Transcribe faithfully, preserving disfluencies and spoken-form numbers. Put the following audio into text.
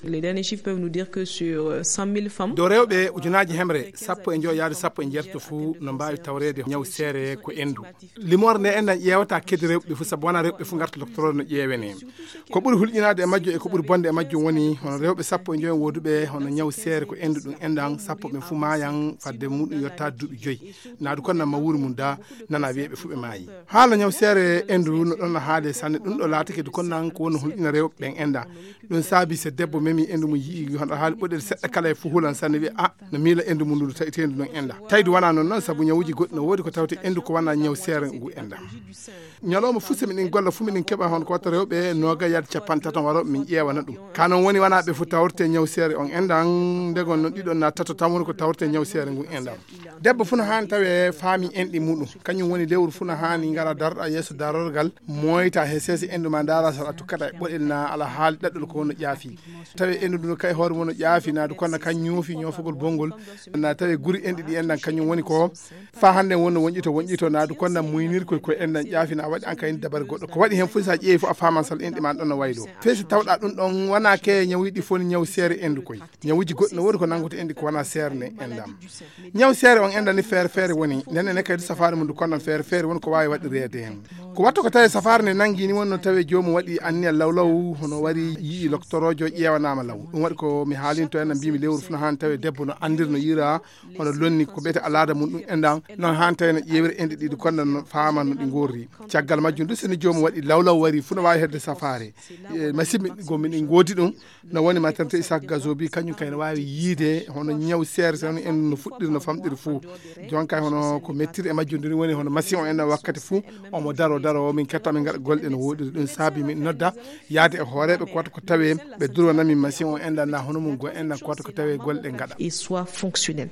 Les derniers chiffres peuvent nous dire que sur euh, cent mille femmes, dow rewɓe ujunaaji hemre sappo e njoyo yaade sappo e jeetato fuu no mbaawi tawreede ñaw seere ko enndu. Limoore nde enɗam ƴeewata kadi rewɓe fof, sabu wonaa rewɓe fof ngarta docteur no ƴeewenee. Ko ɓuri hulƴinaade e majjo e ko ɓuri bonde e majjo woni hono rewɓe sappo e njoyo wooduɓe hono ñaw seere ko enndu ɗum enɗam, sappo ɓen fof maayan fadde muɗum yottaade duuɓi joyi. Naadu kon nan ma wuuri mum da nana wiyee ɓe fof ɓe maayi. Haala ñaw seere enndu no ɗon no haade sanne, ɗum ɗo laatake du kon nan ko woni hulƴina rewɓe ɓen enɗam. Ɗum saabi so debbo memi enndu mum yi'i hono haali ɓoɗel seɗɗa kala e fof hulan sanne wiya a no miila enndu mum ndu tawi teendu noon enɗam. Tawi du wonaa noon noon sabu ñawuuji goɗɗi no woodi ko tawte enndu ko wonaa ñaw seere ngu enɗam. Ñalawma fof so miɗen golla fof miɗen keɓa hono ko watta rewɓe nooga yaade capanɗe tato warooɓe min ƴeewana ɗum. Ka noon woni wonaa ɓe fof tawrete ñaw seere on enɗam, ndegon noon ɗiɗon na tato tan woni ko tawrete ñaw seere ngun enɗam. Debbo fof no haani tawe faami enɗi muɗum. Kañum woni lewru fof no haani ngara darɗa yeeso darorgal, moyta he seese enndu ma ndaara so a tukkata e ɓoɗel na ala haali ɗaɗɗol ko wonno ƴaafi. Tawi enndu ndu kay hoore mum no ƴaafi, naadu kono kan ñoofi ñoofagol bonngol. Na tawi guri enɗi ɗi enɗan kañum woni ko fa hannde wonno wonƴito wonƴito, naadu kono muynirkoy koye enɗan ƴaafi na waɗi an kay dabare goɗɗo. Ko waɗi heen fof so a ƴeewi fof a faaman sal enɗi ma ɗon no waylo. Fey so tawɗa ɗum ɗon wona ke ñawuuji ɗi fof ni ñaw seere enndu koy. Ñawuuji goɗɗi no woodi ko nanngata enɗi ko wona seere nde enɗam. Ñaw seere on enɗan ni feere feere woni. Nden ene kadi safaare mum ndu konnan feere feere woni ko waawi waɗireede heen. Ko watta ko tawi safaare nde nanngi ni wonno tawi joomum waɗi anniya lawlaw hono wari yi'i loktoroojo ƴeewanaama law. Ɗum waɗi ko mi haalinto en mbimi lewru fof no haani tawi debbo no anndir no yiira hono lonni ko ɓeyte alaada mum ɗum enɗan. Noon haani tawi no ƴeewira enɗi ɗiɗi konnan no faama no ɗi ngorri. Caggal majjum du so ni joomum waɗi lawlaw wari fof no waawi hedde safaare. E, masiɓɓe go miɗen ngoodi ɗum. No woni maternité Isaac Gazobi kañum kay no waawi yiide hono ñaw seere seere en no fuɗɗiri no famɗiri fof. Jon kay hono ko mettiri e majjum nduni woni hono machine o en wakkati fof omo daro daro min ketta min ngaɗa golle no woɗiri. Ɗum saabi min nodda yaade e hooreeɓe ko wata ko tawe ɓe durwana min machine o en na hono mum go en ko wata ko tawe golle ɗe ngaɗa. Et soit fonctionnel.